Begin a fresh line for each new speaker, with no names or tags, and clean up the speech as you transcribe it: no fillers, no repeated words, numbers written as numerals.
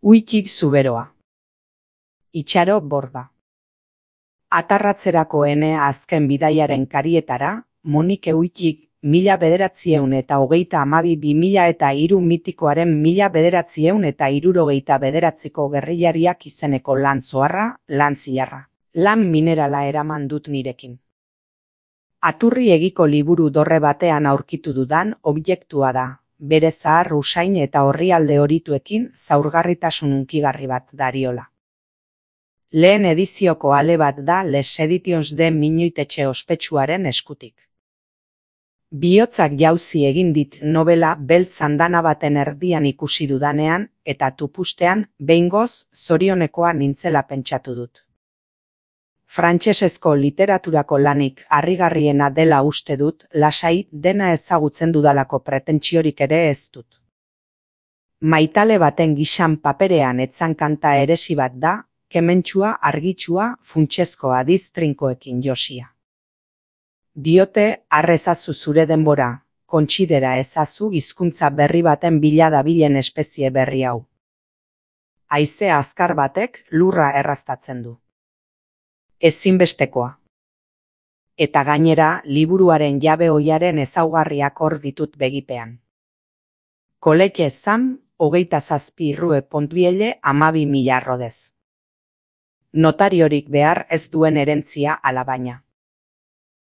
Uikik zuberoa. Itxaro borda. Atarratzerako ene azken bidaiaren karietara, Monike Uikik 1922-2003 mitikoaren 1979ko gerrillariak izeneko lan zoharra, lan zilarra. Lan minerala eraman dut nirekin. Aturri egiko liburu dorre batean aurkitu dudan objektua da. Bere zahar usain eta orrialde horituekin zaurgarritasun hunkigarri bat dariola. Lehen edizioko ale bat da Les Editions de Minuitetxe ospetsuaren eskutik. Bihotzak jauzi egin dit novela beltz andana baten erdian ikusi dudanean eta tupustean behingoz zorionekoa nintzela pentsatu dut. Frantsesezko literaturako lanik harrigarriena dela uste dut, lasai dena ezagutzen dudalako pretentsiorik ere ez dut. Maitale baten gisan paperean etzan kanta eresi bat da, kementsua, argitsua, funtsezko adiz trinkoekin josia. Diote, arrezazu zure denbora, kontsidera ezazu hizkuntza berri baten bila dabilen espezie berri hau. Haize azkar batek lurra erraztatzen du. Ezinbestekoa. Eta gainera, liburuaren jabe ohiaren ezaugarriak hor ditut begipean. Koleke zam, 27 irrue pontbiele 12.000 rodez. Notariorik behar ez duen erentzia alabaina.